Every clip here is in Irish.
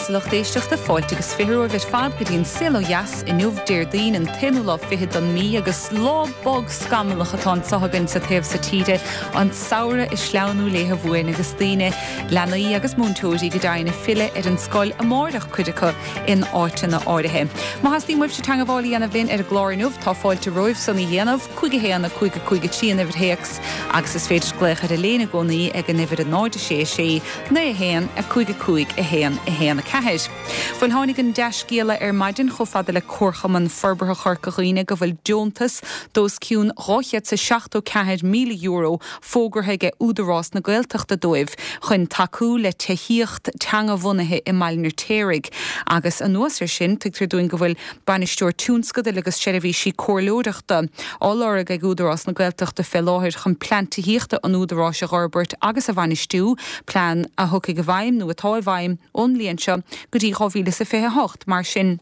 a lucht éisteachta, fáilte agus 20 romhaibh ar fad go dtí an Saol Ó Dheas inniu, Déardaoin an t-aonú lá fichead don mí agus lá bog scamallach atá anso againn sa taobh so tíre, an samhradh ag sleamhnú léithe uainn agus daoine, leanaí agus múinteoirí go deimhin ag filleadh ar an scoil amáireach, cuid acu in áiteanna áirithe. Má theastaíonn uaibhse teangabháil a dhéanamh linn ar an gclár inniu, tá fáilte romhaibh san a dhéanamh, 5 1 5 5 3 an uimhir théacs agus is féidir glaoch ar an léine i gcónaí ag an uimhir 0 6 6 9 1 5 5 1 1 4. Bhuel tháinig an dea-scéala ar maidin chomh fada le Comharchumann Forbartha Chorca Dhuibhne go bhfuil deontas d'os cionn €274,000 fógartha aige Údarás na Gaeltachta dóibh chun tacú le tithíocht teanga-bhunaithe i mBaile an Fheirtéaraigh agus anuas ar sin tuigtear dúinn go bhfuil Bainisteoir Tionscadail agus Seirbhísí Comhairleoireachta á lorg ag Údarás na Gaeltachta fé láthair chun plean tithíochta an Údaráis a dh'fhorbairt agus a bhainistiú, plean a thiocfaidh i bhfeidhm nó atá i bhfeidhm ón mbliain seo go dtí 2028. Mar sin,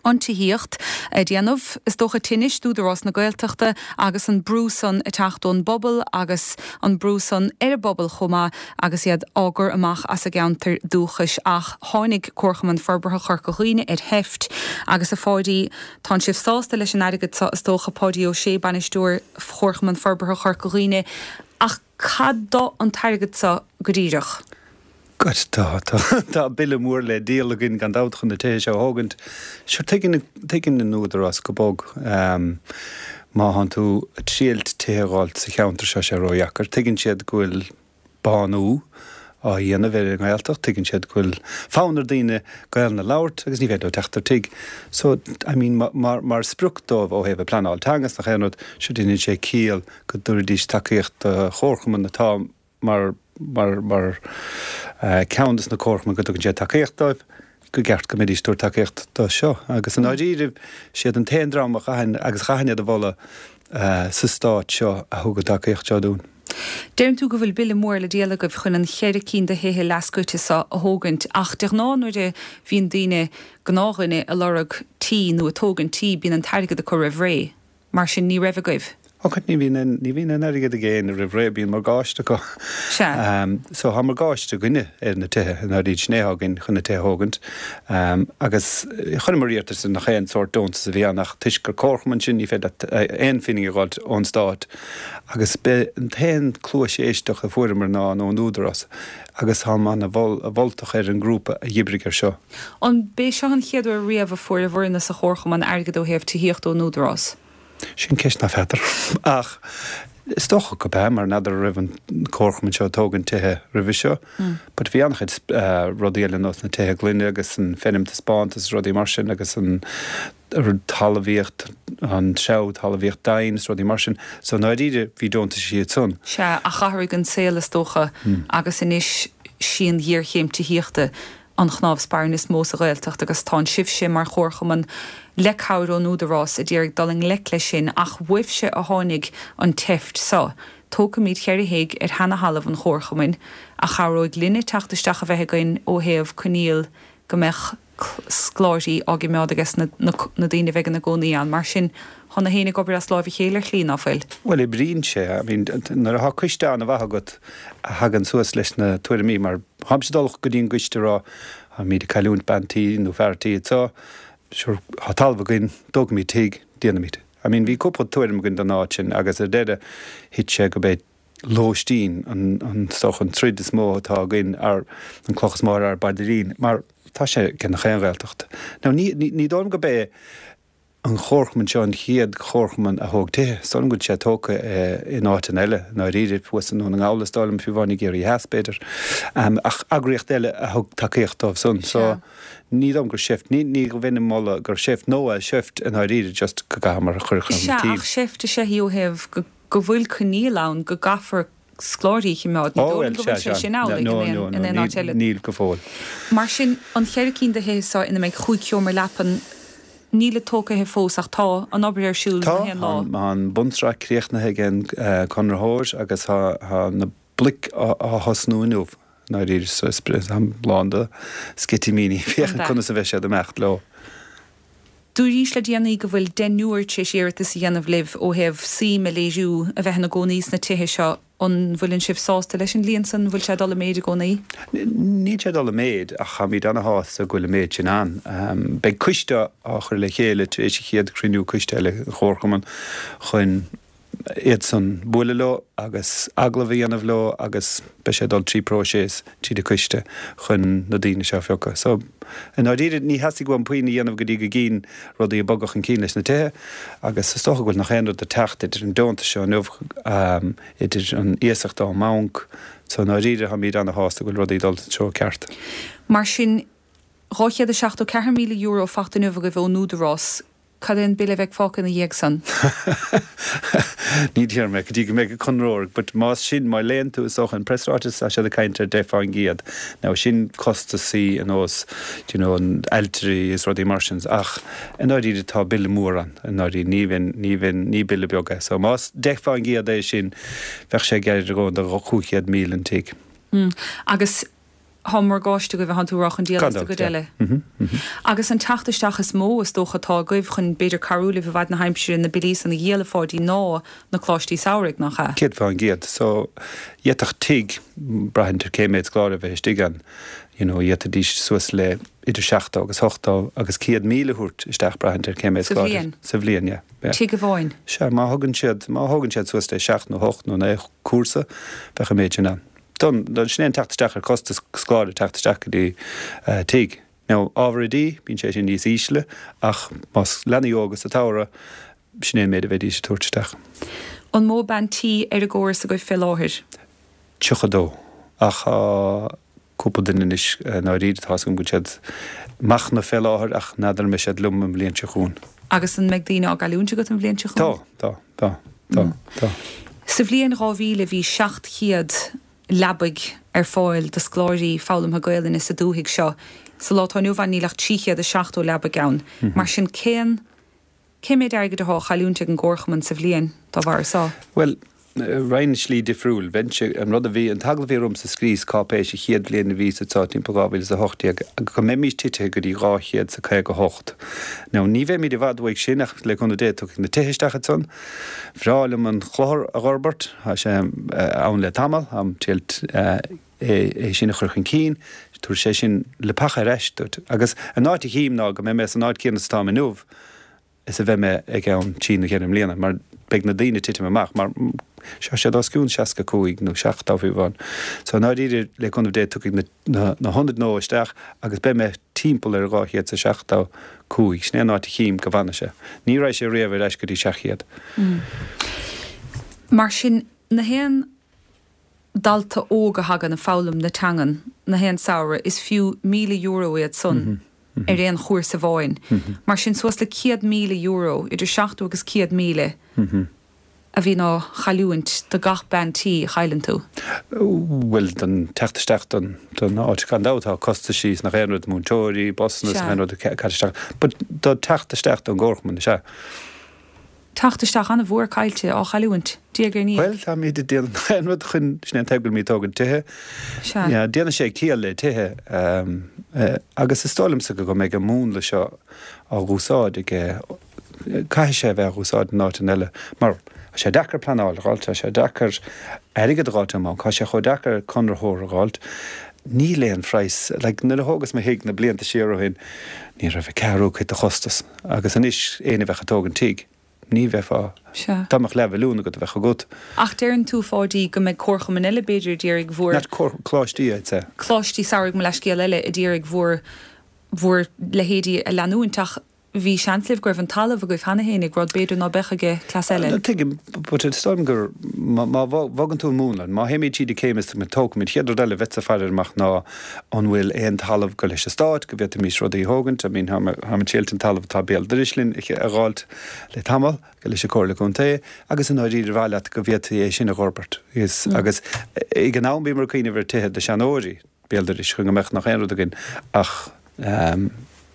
an tithíocht ag déanamh, is dócha, tinnis d'Údarás na Gaeltachta agus an brú san ag teacht ón bpobal agus an brú san ar an bpobal chomh maith agus iad á gcur amach as a gceantair dúchais. Ach tháinig Comharchumann Forbartha Chorca Dhuibhne ar sheift agus a Pháidí, tánn sibh sásta leis an airgead seo is dócha, Páidí Ó Sé, Bainisteoir Chomharchumann Forbartha Chorca Dhuibhne, ach cad do an t-airgead seo go díreach? God, tá, tá, tá bille mór le díol againn gan dabht chun na tithe seo a thógaint. Sure, tuigeann, tuigeann an Údarás go bog. Má thánn tú ag triailt tithe a dh'fháilt sa cheantar seo, sé ródheacair. Tuigeann siad go bhfuil bánú á dhéanamh ar an nGaeltacht, tuigeann siad go bhfuil fonn ar daoine Gaelainn a labhairt agus ní féidir leo teacht ar tigh. So, I mean, mar, mar sprioc dóibh ó thaobh a pleanáil teanga is nach aon rud, sure déanann sé ciall go dtabharfaidís tacaíocht do chomharchumann atá mar, mar, mar ceann de na comharchumainn go dtugann sé tacaíocht dóibh, go gceart go mbeidís ag tabhairt tacaíocht do seo. Agus i ndáiríre, siad an t-aon dream a chaithfinn, agus chaithfinn iad a mholadh sa stát seo a thug an tacaíocht seo dúinn. Deireann tú go bhfuil bille mór le díol agaibh chun an cheithre cinn de thithe leathscoite seo a thógaint, ach de ghnáth nuair a bhíonn daoine, gnáthdhuine, ag lorg tí nó ag tógaint tí, bíonn an t-airgead acu roimh ré. Mar sin, ní raibh agaibh. Och, ní bhíonn aon, ní bhíonn aon airgead ag éinne roimh ré, bíonn morgáiste acu. Sea. So tá morgáiste againne ar na tithe, i ndáiríre, sin é atá againn chun na tithe a thógaint. Agus chuireamar iarratas ar nach aon sórt deontas a bhí ann ach toisc gur comharchumann sinn, ní féidir leat aon phingin a dh'fháilt ón stát. Agus b'é an t-aon cluais éisteachta a fuaireamar ná ón Údarás agus táim ana-mholtach ar an ngrúpa a dh'oibrigh ar seo. An b'é seo an chéad uair riamh a fuaireabhairne sa chomharchumann airgead ó thaobh tithíochta ón Údarás? Sin ceist ná feadar. Ach is dócha go b'ea, mar n'fheadar an raibh an comharchumann seo ag tógaint tithe roimhe seo. But bhí an-chuid rudaí eile nós na tithe gloine agus an feirm taispeántas is rudaí mar sin agus an talmhaíocht, an treabhadh talmhaíocht dain is rudaí mar sin. So i ndáiríre bhí deontais iad san. Sea, ach athraigh an saol is dócha agus anois sí an ghéarchéim tithíochta an chnámh spairne is mó sa Ghaeltacht agus tánn sibhse mar chomharchumann le cabhair ón Údarás a d'iarraidh dul i ngleic leis sin ach uaibhse a tháinig an tseift seo. Tógfaimid cheithre thigh ar sheana-thalamh an chomharchumainn a chabhróidh linne teacht isteach a bheith againn ó thaobh coinníoll go mbeadh scoláirí á gcimeád ages na daoine a bheidh ina gcónaí ann. Mar sin, tá na héin ag obair as láimh a chéile ar shlí, ná fuil? Bhuel, oibríonn sé. I mean, nuair atá coiste an-mhaith agat a thagann suas leis na tuairimí, mar tháimse ag dul go dtí an gcoiste ag rá, táimid ag cailliúint bean tí nó fear tí anseo, sure, tá talamh againn, tógfaimid tigh, déanfaimid. I mean, bhí cúpla tuairim againn don áit sin agus ar deireadh thit sé go b'é lóistín an, is dócha, an troid is mó atá againn, ár, an cloch is mó ar ár bpaidirín, mar tá sé ag gach aon Ghaeltacht. Now, ní, ní, ní dóigh liom go b'é an chomharchumann seo an chéad chomharchumann a thóg tithe. Is dóigh liom go bhfuil sé tógtha in áiteanna eile, i ndáiríre, thuas i nDún na nGall is dóigh liom, fiú amháin i gCiarraí Theas, b'fhéidir. Ach eagraíocht eile a thug tacaíocht dóibh san. So, ní dóigh liom gur seift, ní, ní bheinn ag moladh gur seift, nó seift i ndáiríre, just go gcaithfeamar a chur chun Sea, cinn. ach seift is ea í ó thaobh go, go bhfuil coinníoll ann go gcaithfear scoláirí a chimeád. Ní dóigh liom go bhfuil sé sin amhlaidh in aon áit eile. Níl go fóill. Mar sin, an cheithre cinn de thithe seo ina mbeidh chúig sheomra leapan, nílid tógtha fós ach tá an obair ar siúl gach aon lá. Tá, tá an bunsraith críochnaithe ag an conraitheoir agus tá na bloic á thosnú inniu, i ndáiríre, so is lán de sceitimíní féachaint conas a bheidh siad ag imeacht leo. Dúraís le déanaí go bhfuil deichniúr tar éis iarratas a dhéanamh libh ó thaobh suim a léiriú a bheith ina gcónaí sna tithe seo. An bhfuileann sibh sásta leis an líon san? An bhfuil sé ag dul i méid i gcónaí? Níl sé ag dul i méid ach táimid ana-shásta go bhfuil an méid sin ann. Beidh coiste á chur le chéile tar éis an chéad chruinniú coiste eile den Chomharchumann chun iad san bualadh leo agus agallamh a dhéanamh leo agus beidh sé ag dul trí próiseas tríd an coiste chun na daoine seo a phiocadh. So, i ndáiríre, ní theastaigh uaim puinn a dhéanamh go dtí go gcínn rudaí ag bogadh chun cinn leis na tithe agus is dócha go bhfuil nach aon rud ag teacht idir an deontas seo inniu, idir an iasacht ón mbanc, so i ndáiríre táimid ana-shásta go bhfuil rudaí ag dul sa treo ceart. Mar sin, €274,000 fachta inniu agaibh ón Údarás, Cad é an bille a bheidh fágtha ina dhiaidh san? Ní déarfaidh mé go dtí go mbeidh an conraitheoir, but más sin, má léann tú, is dócha, an preasráiteas, tá siad ag caint ar 10 fán gcéad. Now sin costasaí ar nós, do you know, an ailtirí is rudaí mar sin, ach i ndáiríre tá bille mór ann, i ndáiríre, ní bheinn, ní bheinn, ní bille beag é. So más 10 fán gcéad é sin, bheadh sé gar do 500,000 an tigh. Agus Tá morgáiste agaibh, thánn tú a rá, chun díol as an gcuid eile. Agus an teacht isteach is mó, is dócha, atá agaibh chun, b'fhéidir, cabhrú libh i bhfad na haimsire na billí san a dhíol, a Pháidí, ná na coláistí samhraidh, nach ea? 100%. So, d'fhéadfadh tigh, braitheann ar cé méad scoláire a bheith istigh ann, you know, d'fhéadfaidís suas le idir 70 agus 80 agus 100,000 a thabhairt isteach, braitheann ar cé méad scoláire. Sa bhliain? Sa bhliain, yeah. Yeah. Tigh amháin? Sea, má thugann siad, má thógann siad suas le seacht nó hocht nó naoi cúrsa, bheadh an méid sin ann. Don, sin é an teacht isteach ar costas scoláire teacht isteach go dtí tigh. Now, ábhar oidí, bíonn sé sin níos ísle ach más leanaí óga sa tsamhradh, sin é an méid a bheidís ag tabhairt isteach. An mó bean tí ar an gcóras agaibh fé láthair? 32. Ach tá cúpla duine anois i ndáiríre, tá's agam go bhfuil siad ag machnamh fé láthair ach n'fheadar an mbeidh siad liom an bhliain seo chugainn. Agus an mbeidh daoine á gcailliúint agat an bhliain seo chugainn? Tá, tá. Tá. Tá. Tá. Sa bhliain 2000 bhí 700 leabaidh ar fáil do scoláirí foghlamtha Gaelainne sa dúthaigh seo. Sa lá atá inniu ann níl ach 370 leabaidh ann. Mar sin cén cé méid airgid athá á chailliúint ag an gComharchumann sa bhliain dá bharr so? Bhuel, raghainn slí difriúil. Bheinnse, an rud a bhí, an t-agallamh a bhí ormsa scríos cáipéis an chéad bhliain a bhíos anseo timpeall 2018, go mbeimís titithe go dtí 258. Now, ní bheimid i bhfad uaidh sin ach le cúnamh Dé tiocfaidh na tithe isteach ansan. Bhreá liom an clochar a dh'fhorbairt, tá sé ann le tamall, táim triail é sin a chur chun cinn, tabharfaidh sé sin leapacha ar ais duit. Agus an áit a chím ná go mbeidh mé san áit céanna is atáim inniu, is a bheidh mé i gceann trí nó cheithre mbliana, mar beidh na daoine ag titim amach, mar tá siad os cionn 65 nó 70 fiú amháin. So i ndáiríre, le cúnamh Dé, tiocfaidh na na hionaid nua isteach agus beidh mé timpeall ar 275, sin é an áit a chím go bhfanfaidh sé. Ní raghaidh sé riamh ar ais go dtí 700. Mar sin, na haon dalta óg a thagann ag foghlaim na teangan na haon samhradh, is fiú €1,000 iad san ar aon chúrsa amháin. Mar sin, suas le €100,000, idir 70 agus 100,000, a bhíonn á chailliúint do gach bean tí a chailleann tú. Bhuel, don teacht isteach don don áit, gan dabht tá costaisí is nach aon rud, múinteoirí, busanna is nach aon rud ag caite isteach. But do teacht isteach don gcomharchumann, is ea. Teacht isteach an-mhór caillte, á chailliúint, diaidh ar ndiaidh. Bhuel, táimid ag déanamh aon rud chun, sin é an taobh go bhfuilimid ag tógaint tithe. Sea. Yeah, déanann sé ciall le tithe. Agus is dóigh liomsa go mbeidh an múnla seo á dh'úsáid ag, caithfidh sé a bheith á dh'úsáid in áiteanna eile mar tá sé deacair pleanáil a dh'fháilt, tá sé deacair airgead a dh'fháilt ón mbanc, tá sé chomh deacair conraitheoir a dh'fháilt. Níl aon phraghas, like nuair a thógas mo thigh na blianta siar ó shin, ní raibh a ceathrú cuid de chostas. Agus anois, éinne a bheadh ag tógaint tigh, ní bheifeá, Sea. dá mbeadh leathmhilliún agat a bheadh agat. Ach deireann tú, a Pháidí, go mbeidh comharchumainn eile, b'fhéidir, a d'iarraidh bhur. Not comhar, coláistí, I'd say. Coláistí samhraidh, mo leathscéal eile, a d'iarraidh bhur, bhur leithéidí a leanúint ach bhí seans libh go raibh an talamh agaibh cheana fhéinig, rud b'fhéidir ná beadh aige cleas eile. Tuigim, but is dóigh liom gur, má, má bhogann tú an múnla, má théimid tríd an céim is tógfaimid, chéad rud eile a bheadh ag faire amach ná An bhfuil aon talamh go leis an Stát go bhféadfaimis rudaí a thógaint? I mean, táimid triailt an talamh atá béal dorais linn a dh'fháilt le tamall, go leis an Comhairle Contae, agus i ndáiríre ar mhaith leat go bhféadfaí é sin a dh'fhorbairt. Agus ag an am bhíomar ag cuimhneamh ar tithe do seanóirí béal dorais chun go mbeadh nach aon rud againn ach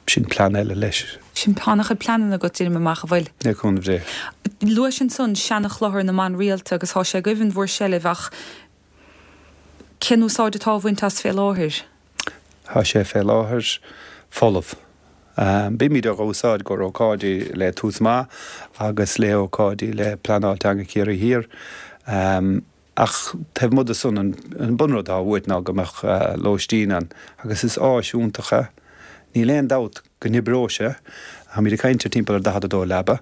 sin plean eile leis. Sin tá an-chuid pleananna agat, deinim amach, a bhfuil? Le cúnamh Dé. Luais ansan seana-chlochar na mban rialta agus tá sé agaibh in bhur seilbh ach Cén úsáid atá á bhaint as fé láthair? Tá sé fé láthair folamh. Bímid á úsáid i gcomhair ócáidí le Tús Maith agus le ócáidí le Pleanáil Teanga Chiarraí Thiar. Ach taobh amuigh de san, an bunrud atá uait ná go mbeadh lóistín ann agus is áis iontach é. Níl aon dabht go n-oibreoidh sé. Táimid ag caint ar timpeall ar 42 leaba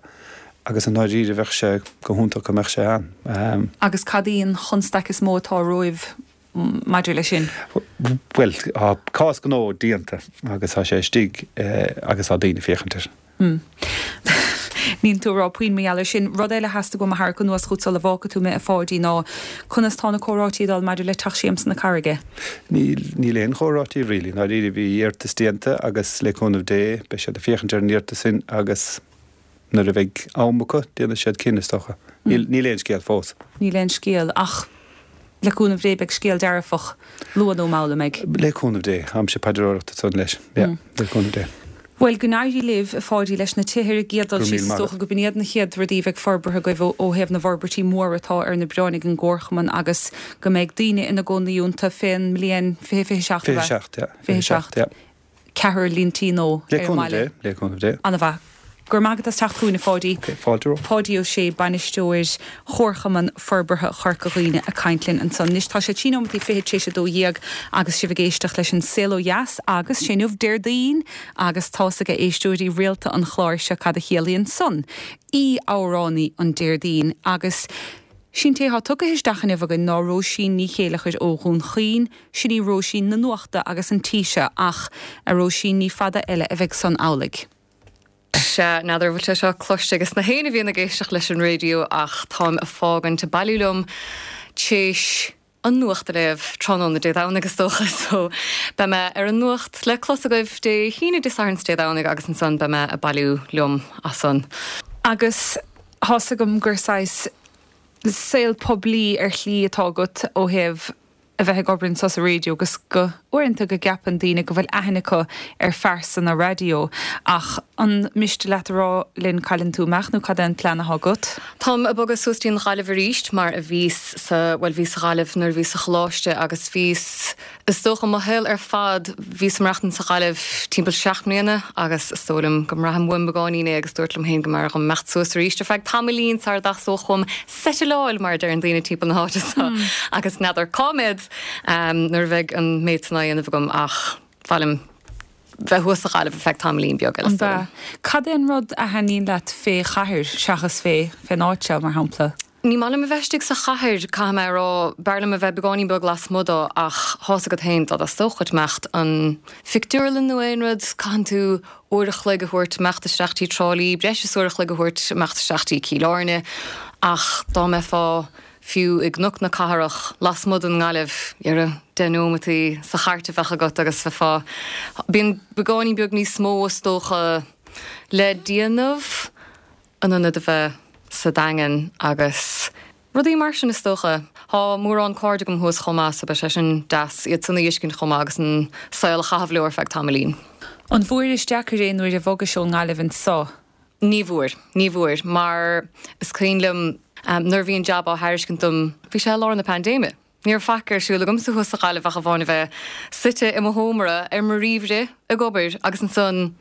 agus i ndáiríre bheadh sé go hiontach go mbeadh sé ann. Agus cad í an chonstaic is mó atá romhaibh maidir leis sin? Bhuel, tá cás gnó déanta agus tá sé istigh agus tá daoine ag féachaint air. Níl tú ag rá puinn mar gheall air sin. Rud eile a theastaigh uaim a tharrac anuas chugat sula bhfágfaidh tú mé, a Pháidí, ná conas tá na comhráití ag dul maidir le Teach Siamsa na Carraige? Níl, níl aon chomhráití really. I ndáiríre bhí iarratas déanta agus le cúnamh Dé beidh siad ag féachaint ar an iarratas sin agus nuair a bheidh am acu déanfaidh siad cinneadh is dócha. Níl, níl aon scéal fós. Níl aon scéal ach le cúnamh Dé beidh scéal dearfach luath nó mall, an mbeidh? Le cúnamh Dé. Táimse ag paidreoireacht ansan leis. Yeah, le cúnamh Dé. Bhuel, go n-éirí libh, a Pháidí, leis na tithe ar an gcéad dul síos. Is dócha go b'in iad na chéad rudaí a bheidh forbartha agaibh ó thaobh na bhforbairtí móra atá ar na bioráin ag an gComharchumann agus go mbeidh daoine ina gcónaí iontu fén mbliain 2027, ab ea? 27, yeah. 27, yeah. Ceathrar líon tí nó ar an mbaile. Le cúnamh Dé, le cúnamh Dé. Ana-mhaith. Go raibh maith agat as teacht chugainn, a Pháidí. Ok, fáilte romhat. Páidí Ó Sé, Bainisteoir Chomharchumann Forbartha Chorca Dhuibhne ag caint linn ansan. Anois tá sé trí nóimeataí fichead tar éis a 12 agus sibh ag éisteacht leis an Saol Ó Dheas agus sé inniu Déardaoin agus tá's ag éisteoirí rialta an chláir seo cad a chiallaíonn san. Aoi-amhránaí an Déardaoin agus sí'n té thá tugtha isteach inniu againn ná Róisín Ní Chéileachair ó Dhún Chaoin, sin í Róisín na nuachta agus an tí seo ach, a Róisín, ní fada eile a bheidh san amhlaidh. Sea, n'fheadar an bhfuil sé seo cloiste ages na héinne a bhíonn ag éisteacht leis an raidió ach táim a' fágaint ag bailiú liom t'éis an nuacht a léamh tráthnóna Dé Domhnaigh is dócha so beidh mé ar an nuacht le clos agaibh Dé hAoine, Dé Sathairn 's Dé Domhnaigh agus ansan beidh mé a' bailiú liom as san. Agus thá's agam gur saghas saol poiblí ar shlí atá agat ó thaobh a bheith ag obair anso sa raidió agus go uaireanta go gceapann daoine go bhfuil aithne acu ar phearsana raidió. Ach an miste leat a rá linn cá bhfuileann tú ag imeacht nó cad é an plean atá agat? Táim ag bogadh suas dtí an Ghaillimh arís mar a bhíos sa, bhuel bhíos sa Ghaillimh nuair a bhíos sa choláiste agus bhíos, is dócha mo shaol ar fad, bhíos ag maireachtaint sa Ghaillimh timpeall seacht mbliana agus is dóigh liom go mbraithim uaim beagáinín é agus dúirt liom féin go mb'fhearr dhom imeacht suas arís ar feadh tamaillín sara dteastódh uaim seitileáil, mar a deireann daoine timpeall na háite so, agus n'fheadar cá mbead nuair a bheidh an méid san á dhéanamh agam ach ba mhaith liom bheith thuas sa Ghaillimh ar feadh tamaillín beag eile, is dóigh liom. Cad é an rud a thaitníonn leat fé chathair seachas fé fén áit seo, mar shampla? Ní maith liom a bheith istigh sa chathair, caithfidh mé a rá. B'fhearr liom a bheith beagáinín beag lasmuigh dó ach thá's agat féin, dá dteastódh dhuit imeacht an phictiúrlann nó aon rud, caitheann tú uair a chloig a thabhairt imeacht isteach dtí Trá Lí, breis is uair a chloig a thabhairt imeacht isteach dtí Cill Airne, ach dá mbeifeá fiú i gCnoc na Cathrach, lasmuigh den nGaillimh, dhera, deich nóimeataí sa chairt a bheadh agat agus bheifeá, bíonn beagáinín beag níos mó is dócha le déanamh in ionad a bheith sa Daingean agus. Rudaí mar sin is dócha. Thá mórán cairde agam thuas chomh maith so beidh sé sin deas iad san a fheiscint chomh maith agus an saol a chaitheamh leo ar feadh tamaillín. An bhfuairis deacair é nuair a bhogais ón nGaillimh anso? Ní bhfuair, ní bhfuair, mar is cuimhin liom nuair a bhí an jab á thairiscint dom, bhí sé i lár na paindéime. Ní raibh faic ar siúl agamsa thuas sa Ghaillimh ach amháin a bheith suite i mo sheomra ar mo ríomhaire ag obair agus ansan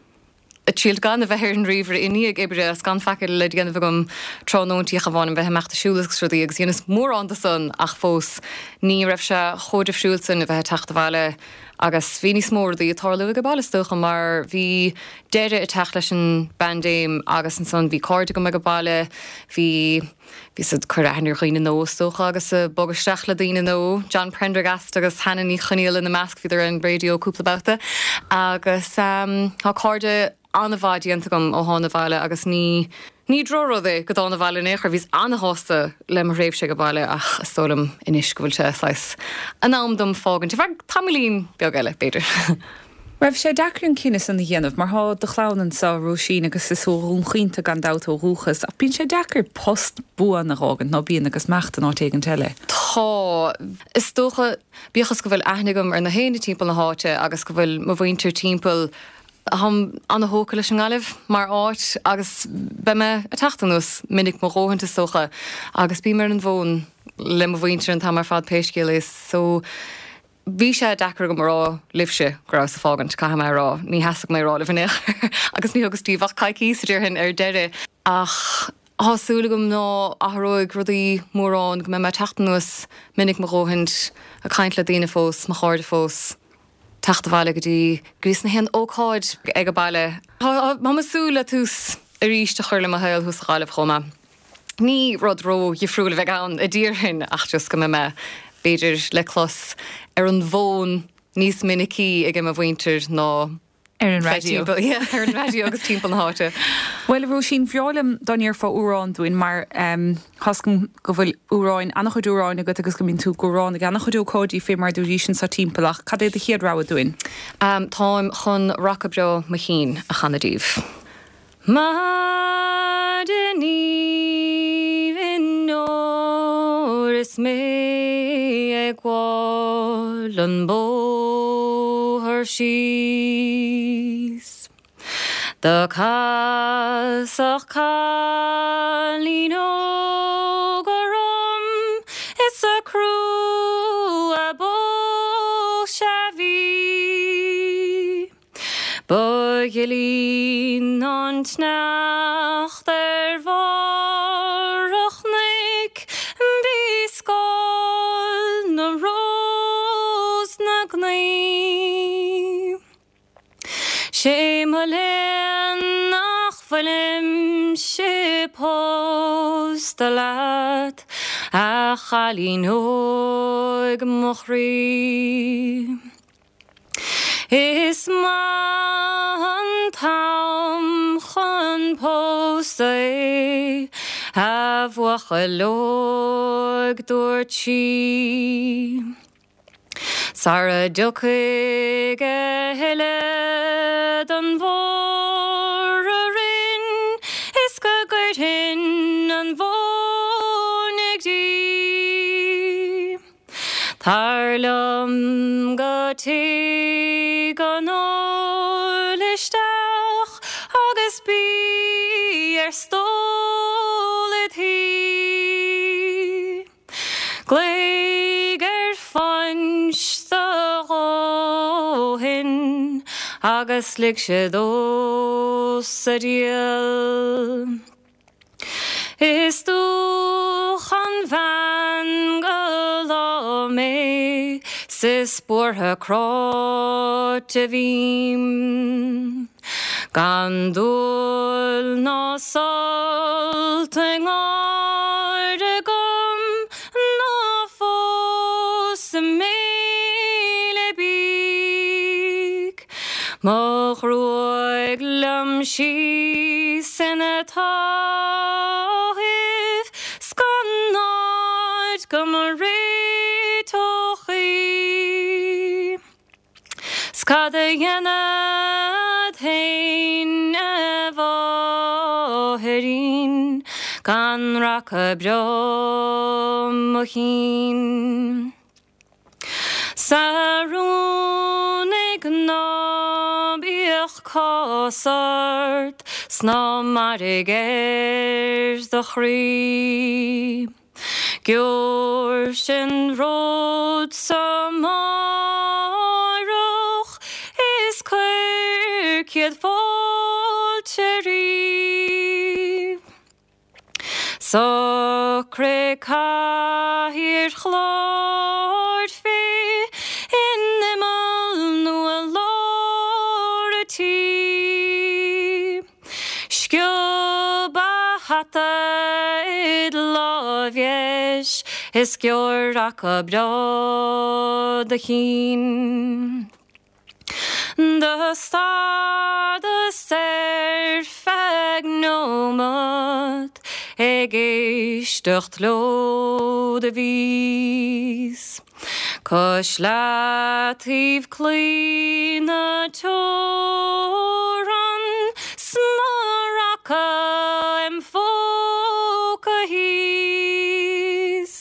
ag triailt gan a bheith ar an ríomhaire i ndiaidh oibre agus gan faic eile le déanamh agam tráthnóintí ach amháin a bheith ag imeacht ag siúl agus rudaí agus dheineas mórán de san ach fós ní raibh sé chomh difriúil san a bheith ag teacht abhaile agus bhí níos mó rudaí ag tarlú ag an baile is dócha mar bhí deireadh ag teacht leis an bpaindéim agus ansan bhí cairde agam ag an baile bhí Bhíos ag cur aithne ar dhaoine nua is dócha agus ag bogadh isteach le daoine nua, John Prendergast agus Hannah Ní Chonaola ina measc, bhíodar ar an raidió cúpla babhta agus tá cairde an-mhaith déanta agam ó thána abhaile agus ní ní drochrud é go dtána abhaile in aon chor, bhíos an-shásta le mo thréimhse ag an baile ach is dóigh liom anois go bhfuil sé saghas in am dom fágaint ar feadh tamaillín beag eile, b'fhéidir. Raibh sé deacair an cinneadh san a dhéanamh, mar thá do chlann anso, Róisín, agus is ó Dhún Chaoin tú gan dabht ó dhúchas, ach bíonn sé deacair post buan a dh'fhágaint, ná bíonn, agus imeacht in áit éigint eile? Tá. Is dócha, bíodh is go bhfuil aithne agam ar na héinne timpeall na háite agus go bhfuil mo mhuintir timpeall, táim ana-thógtha leis an nGaillimh mar áit agus beidh mé ag teacht anuas minic mo dhóthaint is dócha agus bím ar an bhfón le mo mhuintir an t-am ar fad pé scéal é so Bhí sé deacair agam a rá libhse go rabhas ag fágaint, caithfidh mé a rá. Ní theastaigh mé a rá libh in aon chor agus ní thugas daoibh ach coicíos, déarfainn, ar deireadh. Ach. Tá súil agam ná athróidh rudaí mórán, go mbeidh mé ag teacht anuas minic mo dhóthaint, ag caint le daoine fós, mo chairde fós, teacht abhaile go dtí go dtí na haon ócáid ag an baile. Tá mé ag súil le tús arís a chur le mo shaol thuas sa Ghaillimh chomh maith. Ní rud ró-dhifriúil a bheidh ann a déarfainn ach just go mbeidh mé b'fhéidir le clos ar an bhfón níos minicí ag mo mhuintir ná Ar an raidió. Yeah, ar an raidió agus timpeall na háite. Bhuel, a Róisín, bhreá liom dá ndéarfá amhrán dúinn mar tá's agam go bhfuil amhráin, an-chuid amhráin agat agus go mbíonn tú ag amhrán ag an-chuid ócáidí fé mar a dúraís anseo timpeall ach cad é do chéad rogha dúinn? Táim chun Raca Breá Mo Chinn a chanadh daoibh. Maidin aoibhinn óir is mé ag gabháil an bóthar síos. Do casadh cailín óg orm is a crua boise a bhí. Ba ghilí ná an tsneachta ar bharr an chnoic, bhí scáil na rós 'na gnaoi. 'Sé mo léan nach bhfuilimse pósta leat, a chailín óig mo chroí. Is maith an t-am chun pósta é, a bhuachaill óig, dúirt sí. Sara dtiocfaidh a thuilleadh den bhóthar orainn is go gcuirfinn an mhóin ag dí. Tar liom go tigh an óil isteach agus bí ar stól id shuí. Glaoigh ar phuins do dhóthain agus lig sé domhsa díol. Is dúch an bhean go lá mé 's is buartha cráite bhím. Gan dúil ná sult i ngáire agam ná fós i mbéile bídh. Mo ghruaig liom síos ina taobh 's gan áit go mo réiteodh í. 'S cad a dhéanfad fhéin a mháithrín gan raca breá mo chinn. 'S a rúnaigh ná bíodh cás ort 's ná mairg ar do chroí. Gheobhairse an ród so amáireach is cuir céad fáilte riamh. Socraigh cathaoir chláir fé in imeall nó i lár a' tí. Sciob a' hata id láimh dheis is gheobhair raca breá do chinn. Do stadas ar feadh nóimeat ag éisteacht leo do bhíos cois leataobh claí na teorann 's mo raca im phóca thíos.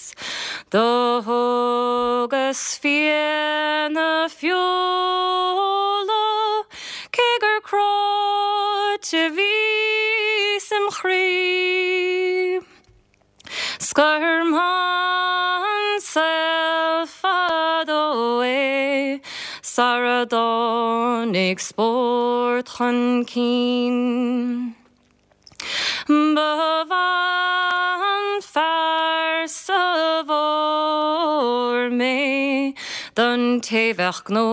Do thógas fianna feola cé gur cráite bhíos im chroí. 'S gur maith an saol fadó é sara dtáinig spórt chun cinn. Ba mhaith. Arsa bhfuair mé don té bheadh gnó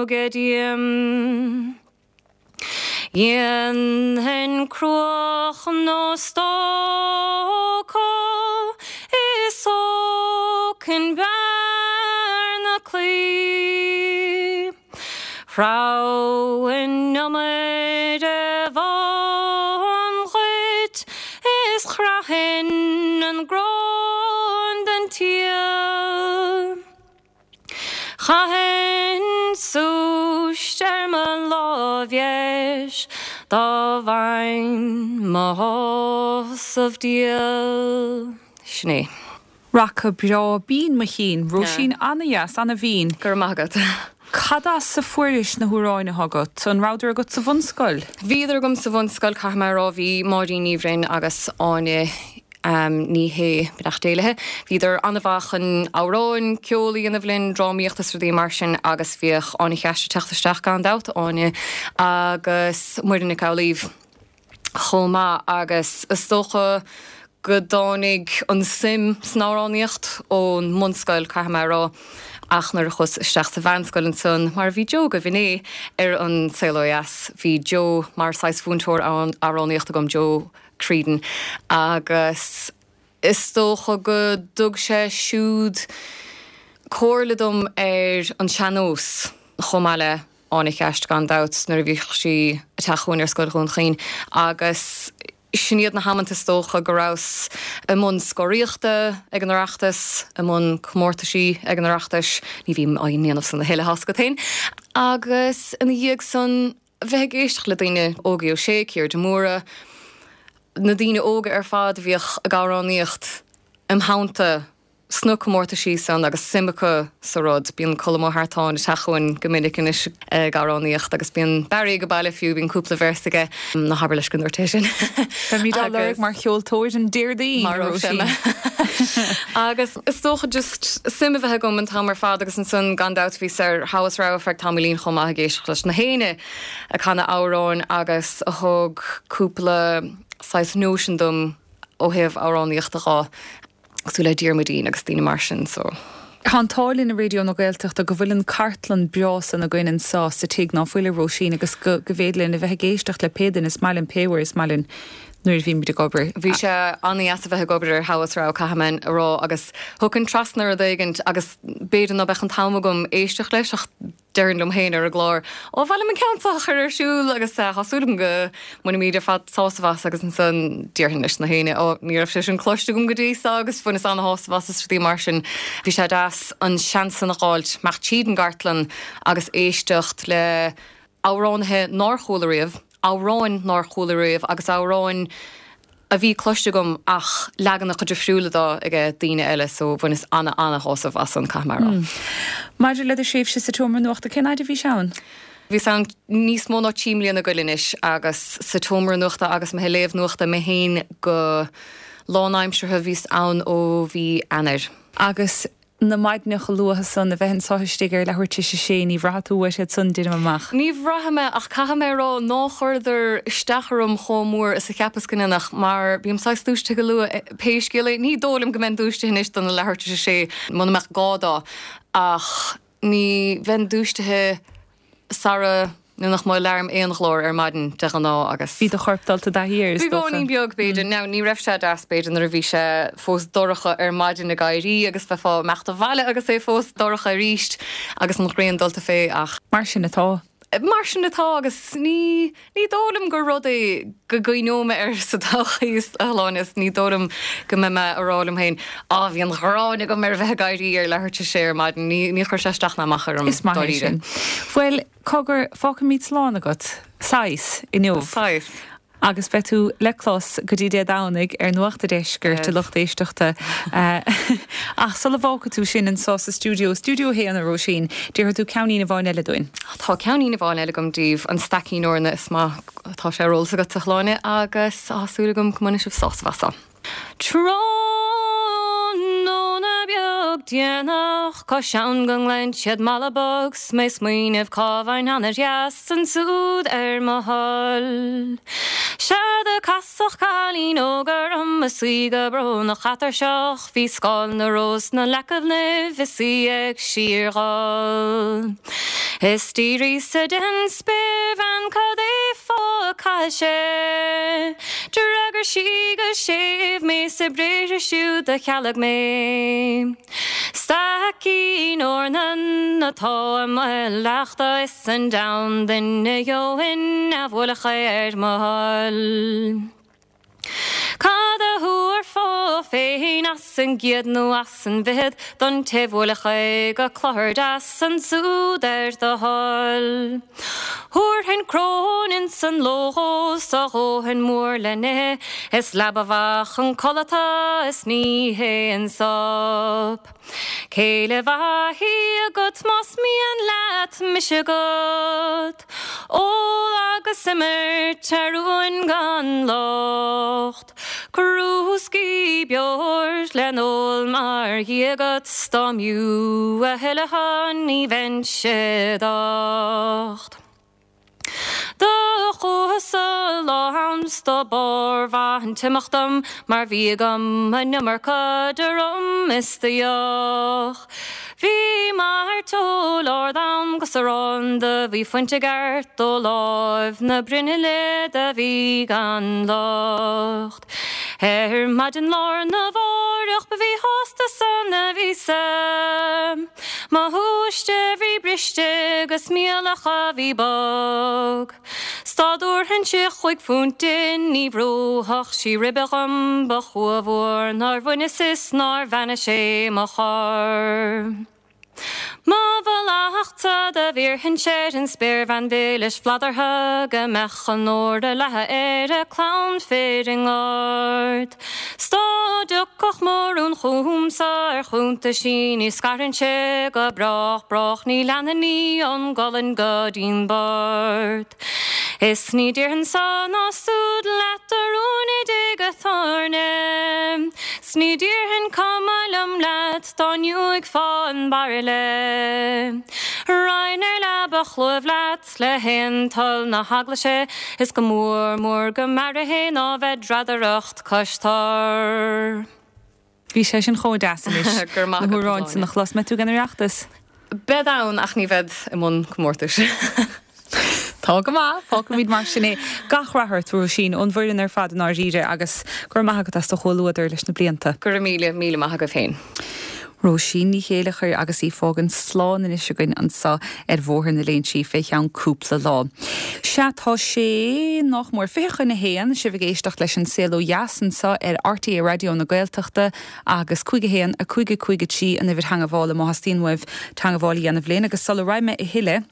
aige díom. Dhéanfainn cruach nó stoca is thógfainn bearna claí. Threabhfainn iomaire bhán dhuit is chraithfinn an gróin den tsíol. Chaithfinn súist ar mo láimh dheis dá bhfaighinn mo shásamh diail. Sin é. Raca breá binn mo chinn. Róisín, Ana-dheas, ana-bhinn. Go raibh maith agat. Cad as a fuairis na hamhráin atá agat? An rabhadar agat sa bhunscoil? Bhíodar agam sa bhunscoil, caithfidh mé a rá. Bhí Máirín Ní Bhroin agus Áine Ní Shé, beannacht Dé léi, bhíodar an-mhaith chun amhráin, ceol a dhéanamh linn, drámaíocht is rudaí mar sin agus bhíodh Áine Cheaist ag teacht isteach gan dabht, Áine agus Muireann Nic Amhlaoibh chomh maith agus is dócha go dtáinig an suim san amhránaíocht ón mbunscoil, caithfidh mé a rá, ach nuair a chuas isteach sa mheánscoil ansan, mar a bhí Joe agaibh inné ar An Saol Ó Dheas, bhí Joe mar saghas mhúinteoir amhránaíochta agam, Joe Creedon, agus is dócha go dtug sé siúd comhairle dom ar an sean-nós chomh maith le Áine Cheaist gan dabht nuair a bhíodh sí ag teacht chugainn ar Scoil Dhún Chaoin agus sin iad na hamanta is dócha go rabhas i mbun scoraíochta ag an Oireachtas, i mbun comórtaisí ag an Oireachtais, ní bhím á ndéanamh san a thuilleadh, tá's agat féin, agus ina dhiaidh san bheith ag éisteacht le daoine, Ógie Ó Sé, Ciara de Mórdha, na daoine óga ar fad a bhíodh ag amhránaíocht im theannta. sna comórtaisí san agus suim acu sa rud. Bíonn Colm Ó hEartáin ag teacht chugainn go minic anois ag amhránaíocht agus bíonn Barry ag baile fiú, bíonn cúpla véarsa aige. Ná habair leis go ndúirt é sin. Beimid á lorg mar cheoltóir an Déardaoin, a Róisín. Agus is dócha just suim a bheith agam an t-am ar fad agus ansan gan dabht bhíos ar Togha is Rogha ar feadh tamaillín chomh maith ag éisteacht leis na héinne ag canadh amhráin agus a thug cúpla saghas nóisean dom ó thaobh amhránaíochta dhó. cosúil le Diarmuidín agus daoine mar sin so. Tá an t-ádh linn i Raidió na Gaeltachta go bhfuil an cartlann breá san againn anseo sa tigh, ná fuil, a Róisín, agus go go bhféidir linn a bheith ag éisteacht le pé duine is maith linn pé uair is maith linn nuair a bhímid ag obair. Bhí sé an-dheas a bheith ag obair ar Thogha is Rogha caithfidh mé a rá agus thiocfainn trasna rud éigint agus b'fhéidir ná beadh an t-am agam éisteacht leis ach déarfainn liom féin ar an gclár, 'Ó, ba mhaith liom an ceann seo a chur ar siúl agus tá súil agam go mbainfimid ar fad sásamh as' agus ansan déarfainn leis na héinne, 'Ó, ní raibh sé sin cloiste agam go dtí seo agus bhaineas ana-shásamh as' is rudaí mar sin. Bhí sé deas an seans san a dh'fháilt imeacht tríd an gcartlann agus éisteacht le amhránaithe nár chuala riamh, amhráin nár chuala riamh agus amhráin a bhí cloiste agam ach leaganacha difriúla dó aige daoine eile so bhaineas ana ana shásamh as san caithfidh mé a rá. Maidir le do thréimhse sa tseomra nuachta, cén fhaid a bhís ann? Bhíos ann níos mó ná trí mbliana ag goil anois agus sa tseomra nuachta agus mé ag léamh nuachta mé féin go lánaimseartha bhíos ann ó mhí Eanáir. Agus na maidneacha luatha san, a bheith anso istigh ar leathuair tar éis a sé, ní bhraithfidh tú uait iad san, deinim amach. Ní bhraithim é, ach caithfidh mé a rá ná chuireadar isteach orm chomh mór is a cheapas go ndéanfadh, mar bím saghas dúisithe go luath pé scéal é. Ní dóigh liom go mbeinn dúisithe anois dona leathuair tar éis a sé muna mbeadh gá dó, ach ní bheinn dúisithe sara ndéanfadh mo alarm aon ghlór ar maidin de ghnáth agus. Bhí do chorp dulta i dtaithí air, is dócha. Beagáinín beag, b'fhéidir. Now, ní raibh sé deas, b'fhéidir, nuair a bhí sé fós dorcha ar maidin ag éirí agus bheifeá ag imeacht abhaile agus é fós dorcha arís agus an ghrian dulta fé ach. Mar sin atá. Mar sin atá agus ní, ní dóigh liom gur rud é go gcuimhneoidh mé air sa todhchaí, a Shláine, is ní dóigh liom go mbeidh mé ag rá liom féin, Á, bhí an ghráin agam ar a bheith ag éirí ar leathuair tar éis a sé ar maidin. Ní, ní chuir sé isteach ná amach orm, Is maith é dáiríre. sin. Bhuel, cogar, fágfaimid slán agat, saghas, inniu. Saghas. Agus beidh tú le clos go dtí Dé Domhnaigh ar Nuacht a' Deiscirt, a lucht éisteachta. Ach sula bhfágfaidh tú sinn anseo sa stiúideo, Stiúideo 1, a Róisín, déarfaidh tú ceainnín amháin eile dúinn. Tá ceainnín amháin eile agam daoibh, an Staicín Eorna is maith atá sé ar eolas agat, a Shláine, agus tá súil agam go mbainfidh sibh sásamh as. Tráthnóna beag. bog déanach, cois abhann go nglaonn siad Mala Bog, 's mé smaoineamh cá bhfaighinn anair dheas ansúd ar mo thoil. Sea do casadh cailín óg orm is í go brónach atuirseach, bhí scáil na rós 'na leacaibh nimh is í ag síorghol. Is d'fhiafraíos-sa den spéirbhean cad é fáth a caithfidh sé. D'fhreagair sí go séimh mé 's a briathra siúd do chealaigh mé. Staicín eornan atá i mo leachta is an deamhan duine gheobhainn a bhuailfeadh é ar mo thoil. Cad a thabharfá féin as an gcéad nó as an bhfichead don té bhuailfeadh é go cluthar deas ansúd ar do thoil? Thabharfainn cróin ins an ló dhó 's a dhóthain mór le n-ithe, is leaba mhaith chun codlata is ní hé an sop. Céile mhaith í agat más mian leat mise agat. Ól agus imirt ar uain gan locht. Crúscaí beoir le n-ól mar dhia agat 's dá mb'fhiú a thuilleadh thú ní bheinnse docht. Do chuas-sa lá ann 's do b'fhíor-mhaith an t-imeacht dom mar bhí agam an iomarca de rum is de dheoch. Bhí mairteoil ard a'm 'gus arán do bhí fuinte i gceart ó láimh na bruinnille do bhí gan locht. Ar maidin lá arna mháireach ba mhíshásta sona bhíos-sa. Mo shúiste bhí briste 'gus m'iallach a bhí bog. 'S dá dtabharfainnse chúig phunt di ní bhrúfadh sí ribe dhom, ba chumha mhór nár bhaineas is nár bheannaigh sé mo chor. Mo mhallachtsa do bhéarfainnse ar an spéirbhean mhilis bhladhartha go mbeadh an ór ag leathadh ar a clann fir i ngort. 'S dá dtiocfadh mo rún chugamsa ar chuntaisí ní scarfainnse go brách brách ní leanfainn í ón gcolainn go dtí'n bport. Is ní déarfainn-sa ná súd leat a rún i dtigh a' tábhairne 'S ní déarfainn cuma liom leat dá ngiúigfeá an bairille. Raghainn ar leaba chlúimh leat le haon toil na heaglaise Is go mór mór go mb'fhearra fhéin ná bheith dradaireacht cois tor. Bhí sé sin chomh deas anois Go raibh maith na agat, a hamhráin san Áine. a chlos. Mbeidh tú ag an Oireachtas? Bead ann ach ní bhead i mbun comórtais. Tá go maith, fágfaimid mar sin é. Gach rath ort, a Róisín, ón bhfoireann ar fad i ndáiríre agus go raibh maith agat as do chomhluadar leis na blianta. Go raibh míle, míle maith agaibh féin. Róisín Ní Chéileachair agus í fágaint slán anois againn anso ar Bhóthar na Léinsí fé cheann cúpla lá. Sea, tá sé nách mór 12:40, sibh ag éisteacht leis An Saol Ó Dheas anso ar RTÉ Raidió na Gaeltachta agus 5 1 5 5 3 an uimhir theangabhála má theastaíonn uaibh teangabháil a dhéanamh linn agus sula raghaidh mé a thuilleadh,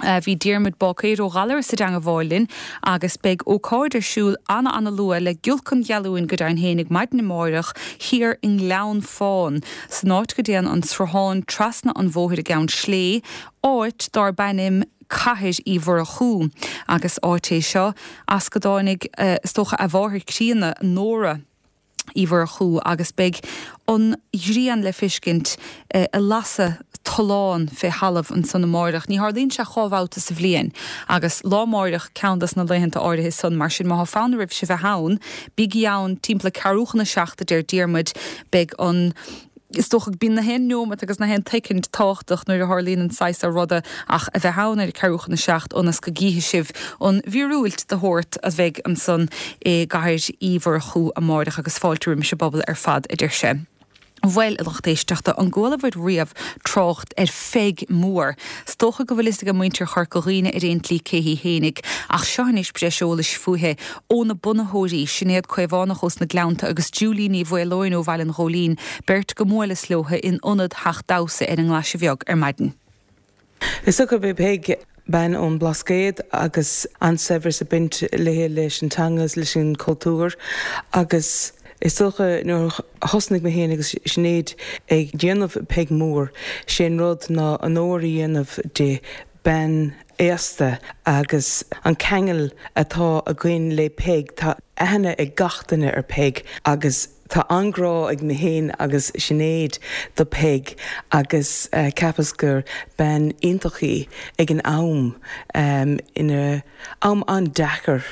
Bhí Diarmuid Báicéir ó Ghallaras i dteangabháil linn agus beidh ócáid ar siúl ana ana luath le giolc an ghealúin go deimhin fhéinig maidin amáireach thiar i nGleann Fáin san áit go dtéann an sruthán trasna an bhóthair i gCeann Slé, áit dárb ainm Cathair Uí Mhurchú agus áit é seo as go dtáinig is dócha a mháthair críonna, Nóra. Uí Mhurchú agus beidh an ghrian le feiscint ag lasadh tollán fé thalamh ansan amáireach. Ní tharlaíonn sé dhá bhabhta sa bhliain agus lá amáireach ceann dos na laethanta áirithe san. Mar sin má thá fonn oraibhse bheith ann, bígí ann timpeall a ceathrú chun a seacht a deir Diarmuid. Beidh an. Is dócha go bíonn na haon neomat agus na haon tsoicind tábhachtach nuair a tharlaíonn an saghas seo ruda ach a bheith ann ar a ceathrú chun a seacht ionas go gcífidh sibh an mhíorúilt de shórt a bheidh ansan i gCathair Uí Mhurchú amáireach agus fáilte roimis an bpobal ar fad, a deir sé. Bhuel, a lucht éisteachta, an gcualabhair riamh trácht ar Pheig Mór? 'S dócha go bhfuil fhios age muintir Chorca Dhuibhne ar aon tslí cé hí fhéinig, ach seo anois breis eolais fúithi ó na bunaitheoirí, Sinéad Caomhánach ós na Gleannta agus Julie Ní Mhaoileoin ó Bhaile an Ghóilín, beirt go mbuaileas leotha in ionad Theach Damhsa ar an nGlaise Bheag ar maidin. Is dócha gurb é Peig bean ón mBlascaod agus an-saibhreas ag baint léi leis an teanga is leis an cultúr agus is dócha nuair a thosnaigh mé féin agus Sinéad ag déanamh Peig Mór, sé an rud ná onóir a dhéanamh di, bean aosta agus an ceangal atá againn le Peig, tá aithne ag gach duine ar Peig agus. tá an-grá ag mé féin agus Sinéad do Peig agus cheapas gur bean iontach í ag an am, ina am an-deacair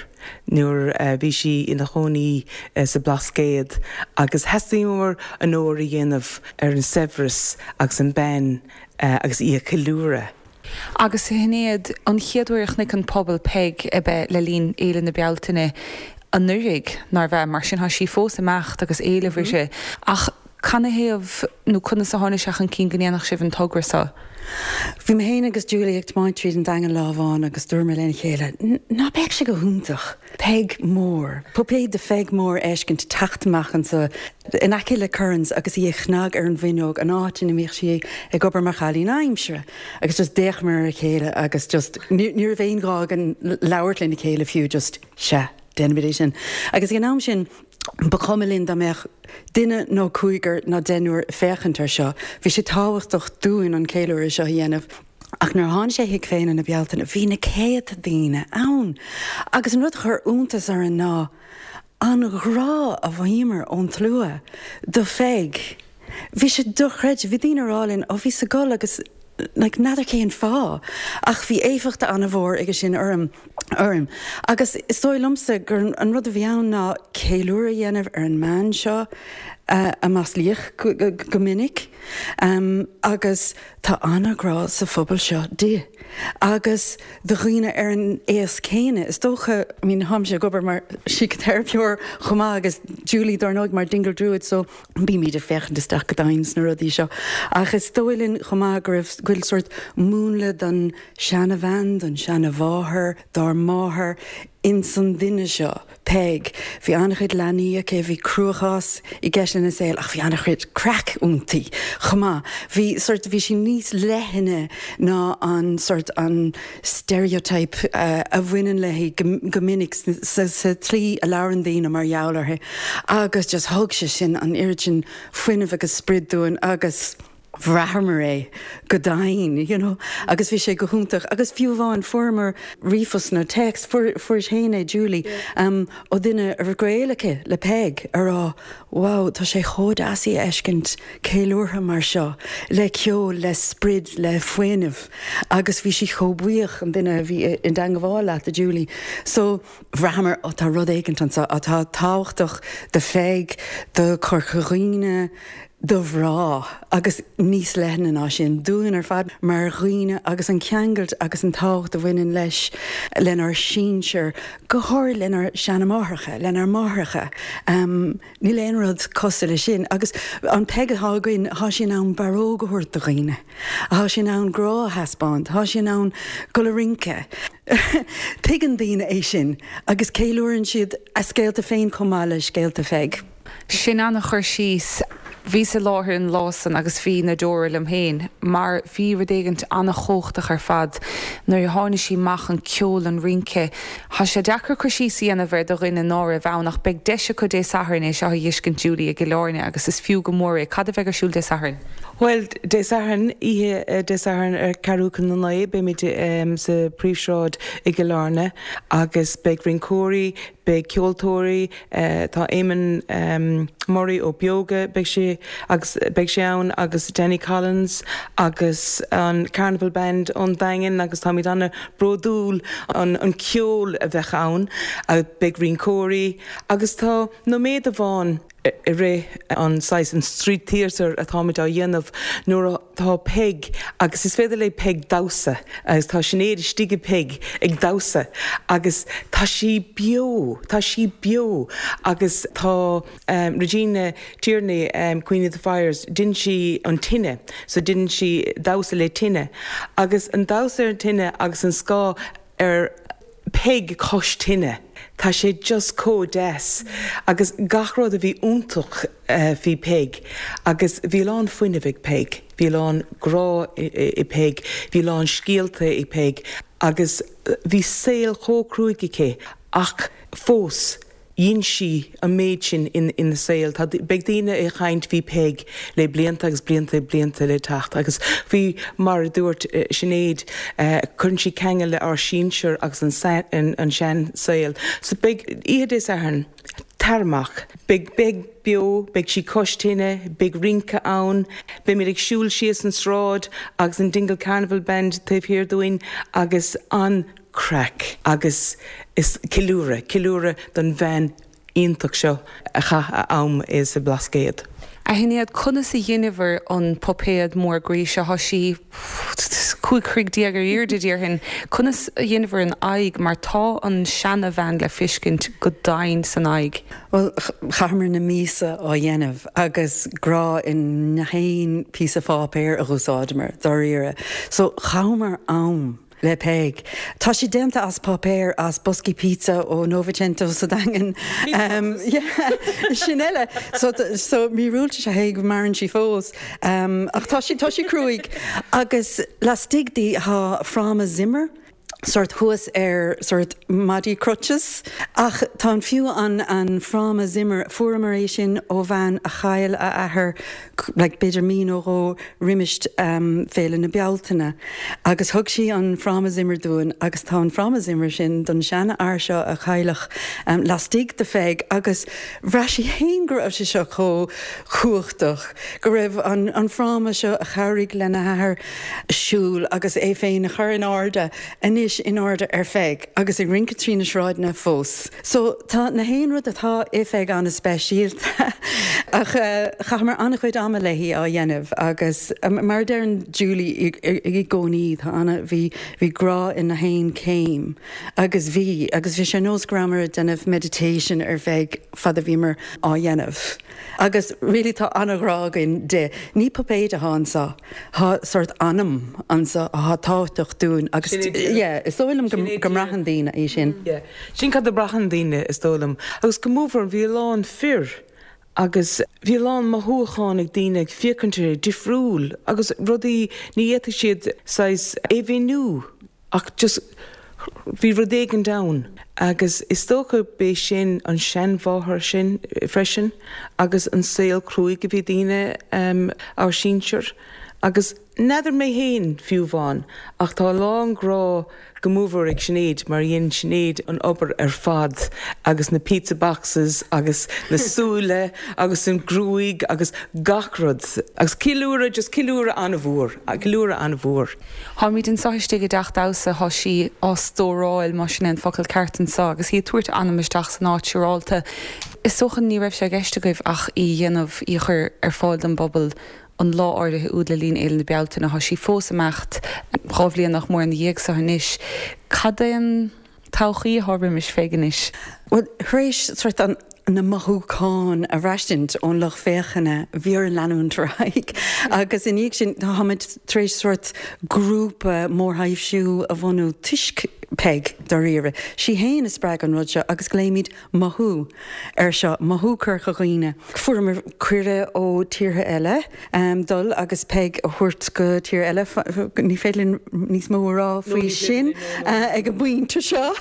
nuair a bhí sí ina chónaí sa Blascaod agus theastaíomar onóir a dhéanamh ar an saibhreas agus an bean agus í a cheiliúradh. Agus a Shinéad, an chéad uair a chonaic an pobal Peig ab ea le linn Fhéile na Bealtaine anuraidh, nárbh ea? Mar sin tá sí fós ag imeacht agus éileamh uirthi. Ach canathaobh nó conas a tháinig sé chun cinn go ndéanfadh sibh an togra seo? Bhí mé féin agus Julie ag tiomáint tríd an Daingean lá amháin agus dúramar lena chéile, ná beadh sé go hiontach Peig mór, puipéad de Pheig mór a fheiscint teacht amach anso in aice le Curran's agus í ag cnag ar an bhfuinneog, an áit ina mbíodh sí ag obair mar chailín aimsire. Agus just d'fhéachamar ar a chéile agus just ní raibh aon ghá againn labhairt lena chéile fiú, just sea, déanfaimid é sin. Agus ag an am sin ba chuma linn dá mbeadh duine nó cúigear nó deichniúr ag féachaint air seo, bhí sé tábhachtach dúinn an ceiliúradh seo a dhéanamh. Ach nuair a tháinig sé chuig Féile na Bealtaine bhí na céadta daoine ann agus an rud a chuir iontas orainn ná an ghrá a mhothaíomar ón tslua do Pheig. Bhí sé dochreidte. Bhí daoine ag rá linn, ó bhíos ag gol agus like n'fheadar cén fáth ach bhí éifeacht an-mhór aige sin orm, orainn. Agus is dóigh liomsa gur an rud a bhí ann ná ceiliúradh a dhéanamh ar an mbean seo a maslaíodh go minic agus Tá an-ghrá sa phobal seo di agus do dhaoine ar an aos céanna. Is dócha, I mean táimse ag obair mar síciteiripeoir chomh maith agus Julie dár ndóigh mar Dingle Druid so bímid ag féachaint isteach go domhain sna rudaí seo. Ach is dóigh linn chomh maith go raibh, go bhfuil sórt múnla don seana-bhean, don seana-mháthair, dár máthair ins an duine seo. Peig. Bhí an-chuid leanaí aici, bhí cruachás i gceist lena saol ach bhí an-chuid craic ionti chomh maith. Bhí sort, bhí sí níos leithne ná an sort, an stereotype a bhaineann léi go minic sa tslí a labhrann daoine mar gheall uirthi agus just thug sé sin an oiread sin fuinnimh agus sprid dúinn agus. bhraitheamar é go domhain, you know, agus bhí sé go hiontach. Agus fiú amháin fuaireamar ríomhphost nó téacs, fuair, fuairis féin é Julie, um, ó duine a raibh gaol aici le Peig a rá, wow, tá sé chomh deas í a fheiscint ceiliúrtha mar seo, le ceol, le sprid, le fuinneamh. Agus bhí sí chomh buíoch, an duine a bhí i dteangabháil leat, a Julie. So, bhraitheamar, ó tá rud éigint anseo atá tábhachtach do Pheig, do Chorca Dhuibhne, do mhná agus níos leithne ná sin, dúinn ar fad mar dhaoine agus an ceangailt agus an tábhacht a bhaineann leis, lenár sinsir, go háirid lenár seana-mháithreacha, lenár máithreacha. Níl aon rud cosúil leis sin. Agus an Peig atá againn, tá sí in ann barróg a thabhairt do dhaoine, tá sí in ann grá a thaispeáint, tá sí in ann dul a rince. Tuigeann daoine é sin agus ceiliúrann siad a scéalta féin chomh maith le scéalta Pheig. Sin an-chur síos. Bhíos i láthair an lá san agus bhí na deora liom féin mar bhí rud éigint an-chumhachtach ar fad nuair a tháinig sí amach, an ceol, an rince. Tá sé deacair cur síos a dhéanamh air do dhuine ná raibh ann ach beidh deis acu Dé Sathairn é seo a dh'fheiscint Julie i gCill Airne agus is fiú go mór é. Cad a bheidh ar siúl Dé Sathairn? Bhuel, Dé Sathairn, oíche Dé Sathairn ar ceathrú chun a naoi, beimid sa Phríomhshráid i gCill Airne agus beidh rinceoirí, beidh ceoltóirí, tá Éamonn Murray ó Beoga, beidh sé agus beidh sé ann agus Danny Collins agus an Carnival Band ón Daingean agus táimid an-bhródúil an an ceol a bheadh ann. Beidh rinceoirí agus tá nóiméad amháin i rith an saghas an street theatre atáimid á dhéanamh nuair atá Peig agus is féidir le Peig damhsa agus tá Sinéad istigh i Peig ag damhsa agus tá sí beo, tá sí beo agus tá Regina Tierney, Queen of the Fires, deineann sí an tine so deineann sí damhsa le tine agus an damhsa ar an tine agus an scáth ar Peig cois tine. Tá sé just chomh deas agus gach rud a bhí iontach faoi Peig agus bhí a lán fuinnimh ag Peig, bhí a lán grá i Peig, bhí a lán scéalta ag Peig agus bhí saol chomh cruaidh aici ach fós Dhein sí an méid sin ina saol. Tá, beidh daoine ag caint faoi Peig le blianta agus blianta blianta le teacht agus faoi mar a dúirt Sinéad, cuireann sí ceangal le ár sinsir agus an, an sean saol. So beidh oíche Dé Sathairn, tar amach, beidh, beidh. beo, beidh sí cois tine, beidh rince ann, beimid ag siúl síos an sráid agus an Dingle Carnival Band taobh thiar dúinn agus an-craic agus is ceiliúradh, ceiliúradh don bhean iontach seo a chaith a am sa Bhlascaod. A Shinéad, conas a dheineabhair an puipéad mór groí seo? Thá sí 15 throigh ar aoirde, déarfainn. Conas a dheineabhair an aghaidh mar tá an seana-bhean le feiscint go doimhin san aghaidh. Bhuel, chaitheamar na míosa á dhéanamh agus grá i ngach aon píosa pháipéir a dh'úsáideamar, dáiríre. So, chaitheamar am. le Peig. Tá sí déanta as páipéar as boscaí pizza ó Novecento sa Daingean. Sin eile. So, so míorúilt is ea é go maireann sí fós. Ach tá sí, tá sí cruaidh. Agus lastigh di tá fráma Zimmer, sórt thuas ar sórt maidí crutches. Ach tá an fiú an, an fráma Zimmer, fuaireamar é sin ó bhean a chaill a athair like b'fhéidir mí nó dhó roimis Féile na Bealtaine agus thug sí an fráma Zimmer dúinn agus tá an fráma Zimmer sin don seanfhear seo a cailleadh lastigh de Pheig agus bhraith sí fhéin go raibh sé seo chomh cumhachtach, go raibh an an fráma seo a chabhraigh lena hathair siúl agus é féin a chur in airde anois in airde ar Pheig agus ag rince trí na sráideanna fós. So tá na haon rud atá i Pheig an-speisialta ach chaitheamar an-chuid ama léi á dhéanamh agus mar a deireann Julie i gcónaí tá ana, bhí, bhí grá i na haon céim agus bhí agus bhí sé ar nós go rabhamar ag déanamh meditation ar Pheig fad a bhíomar á dhéanamh. Agus really tá an-ghrá againn di. Ní puipéid atá anseo, tá sórt anam anseo atá tábhachtach dúinn agus yeah is dóigh liom go mbraitheann daoine é sin. Yeah, sin cad a braitheann daoine is dóigh liom. Agus go mór bhí a lán fir agus bhí a lán mothúchán ag daoine ag féachaint uirthi, difriúil agus rudaí ní fhéadfadh siad saghas é mhíniú. Ach just, bhí rud éigint ann agus is dócha b'é sin an seanmháthair sin freisin agus an saol cruaidh a bhí daoine, ár sinsir agus n'fheadar mé fhéin fiú amháin ach tá a lán grá go mórmhór ag Sinéad mar dhein Sinéad an obair ar fad agus na pizza boxes agus na súile agus an gruaig agus gach rud agus ceiliúradh, just ceiliúradh an-mhór, ceiliúradh an-mhór. Táimid anseo istigh i dteach damhsa, thá sí á stóráil, más sin é an focal ceart anseo, agus í ag tabhairt anam isteach san áit siúrálta. Is dócha ní raibh sé i gceist agaibh ach í a dhéanamh, í a chur ar fáil don bpobal an lá áirithe úd le linn Fhéile na Bealtaine. Thá sí fós ag imeacht 2 bhliain nach mór ina dhiaidh so anois. Cad é an. todhchaí atá roimis Pheig anois? Bhuel, tar éis sórt an, na mothúcháin a bhraistint ón lucht féachana, bhí orainn leanúint ar aghaidh agus i ndiaidh sin táimid tar éis sórt grúpa mórthaibhsiú a bhunú toisc Peig, dáiríre. Sí fhéin a spreag an rud seo agus glaoimid Mothú air seo, Mothú Corca Dhuibhne. Fuaireamar cuireadh ó tíortha eile dul agus Peig a thabhairt go tír eile. Ní féidir linn níos mó a rá faoi sin ag an bpointe seo.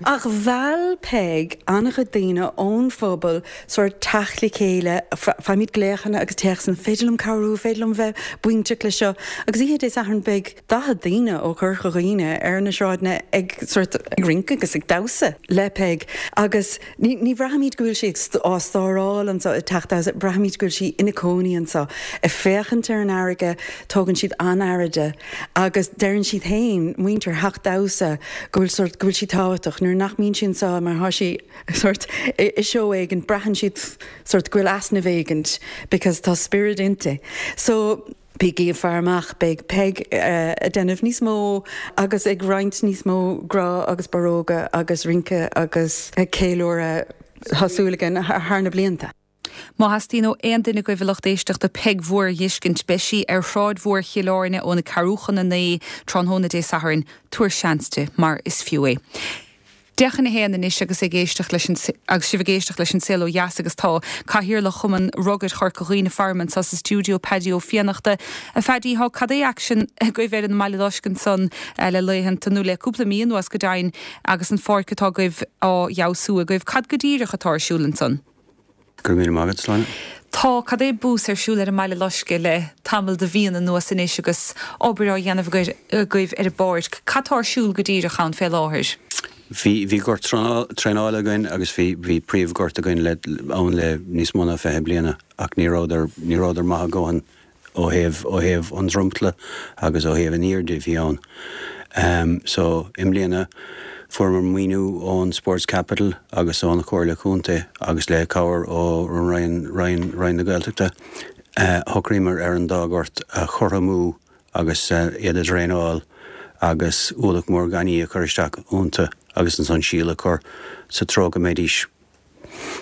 Ach mheall Peig an-chuid daoine ón phobal sórt teacht le chéile. Faighimid glaochanna agus téacsanna, féidir liom cabhrú, féidir liom bheith bainteach le seo. Agus oíche Dé Sathairn beidh 40 daoine ó Chorca Dhuibhne ar na sráideanna ag sórt ag rince agus ag damhsa le Peig agus ní ní bhraithimid go bhfuil sí ag á stóráil anseo i dteach damhsa, braithimid go bhfuil sí ina cónaí anseo, ag féachaint ar an fharraige, tógann siad an-aire di agus deireann siad féin, muintir theach damhsa, go bhfuil sórt go bhfuil sí tábhachtach nuair nach mbíonn sí anseo mar thá sí sórt i seó éigin braitheann siad sórt go bhfuil easnamh éigint because tá spiorad inti. So. Bígí ag faire amach, beidh Peig ag déanamh níos mó agus ag roinnt níos mó grá agus barróga agus rince agus ceiliúradh, tá súil againn, thar na blianta. Má theastaíonn ó aon duine agaibh a lucht éisteachta Peig Mhór a dh'fheiscint, beidh sí ar Shráid Mhór Chill Airne óna ceathrú chun a 9 tráthnóna Dé Sathairn. Tabhair seans di, mar is fiú é. 12:50 anois agus ag éisteacht leis an agus sibh ag éisteacht leis An Saol Ó Dheas agus tá Cathaoirleach Chumann Rugair Chorca Dhuibhne faram anseo sa stiúideo, Paddy Ó Fiannachta. A Phaddy, thá cad é aicsean agaibh ar an mBaile Loiscthe ansan le laethanta, nó le cúpla mí anuas go deimhin, agus an pháirc atá agaibh á fheabhsú agaibh. Cad go díreach atá ar siúl ansan? Go raibh míle maith agat, Sláine. Tá cad é bús ar siúl ar an mBaile Loiscthe le tamall de mhíonna anuas anois agus obair á dhéanamh agaibh ar an bpáirc. Cad tá ar siúl go díreach ann fé láthair? Bhí, bhí gort traenála againn agus bhí, bhí príomhghort againn le, ann le níos mó ná 20 bliana ach ní rabhadar, ní rabhadar maith a dhóthain ó thaobh, ó thaobh an dromchla agus ó thaobh an airde a bhí ann. So, i mbliana fuaireamar maoiniú ón Sports Capital agus ón Chomhairle Contae agus le cabhair ó Roinn, Roinn, Roinn na Gaeltachta, shocraíomar ar an dá ghort a chothromú agus iad a dhraenáil agus ualach mór gainimh a chur isteach iontu agus ansan síol a chur sa treo go mbeidís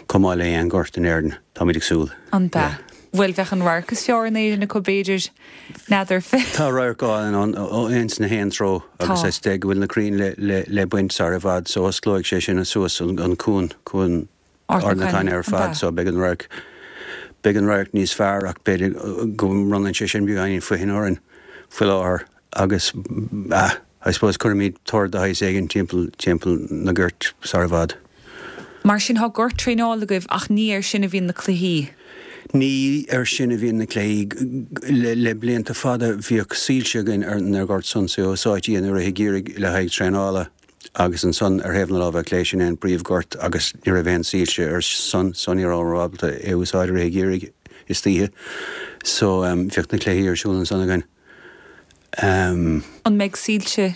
chomh maith le aon ghort in Éirinn, táimid ag súil. An bea? Bhuel, bheadh an radharc is fearr in Éirinn acu, b'fhéidir. N'fheadar. Tá radharc álainn ann ó ins na haon treo agus is dóigh go bhfuil na crainn le baint sar i bhfad so osclóidh sé sin suas an cuan, cuan Ard na Caithne ar fad so beidh an radharc, beidh an radharc níos fearr ach b'fhéidir go mbronnann sé sin beagáinín foichinn orainn faoi láthair agus ah, I suppose cuirfimid tor de shaghas éigin timpeall, timpeall na gort sar i bhfad. Mar sin tá gort traenála agaibh ach ní air sin a bhíonn na cluichí? Ní air sin a bhíonn na cluichí. Le, le blianta fada bhíodh soilse againn ar an ghort san so úsáidtí i rith an gheimhridh le haghaidh traenála. Agus ansan ar thaobh na láimhe clé sin é an príomhghort agus ní raibh aon soilse air san so ní rabhamar ábalta é a úsáid i rith an gheimhridh istoíche. So bheadh na cluichí ar siúl ansan againn. An mbeidh soilse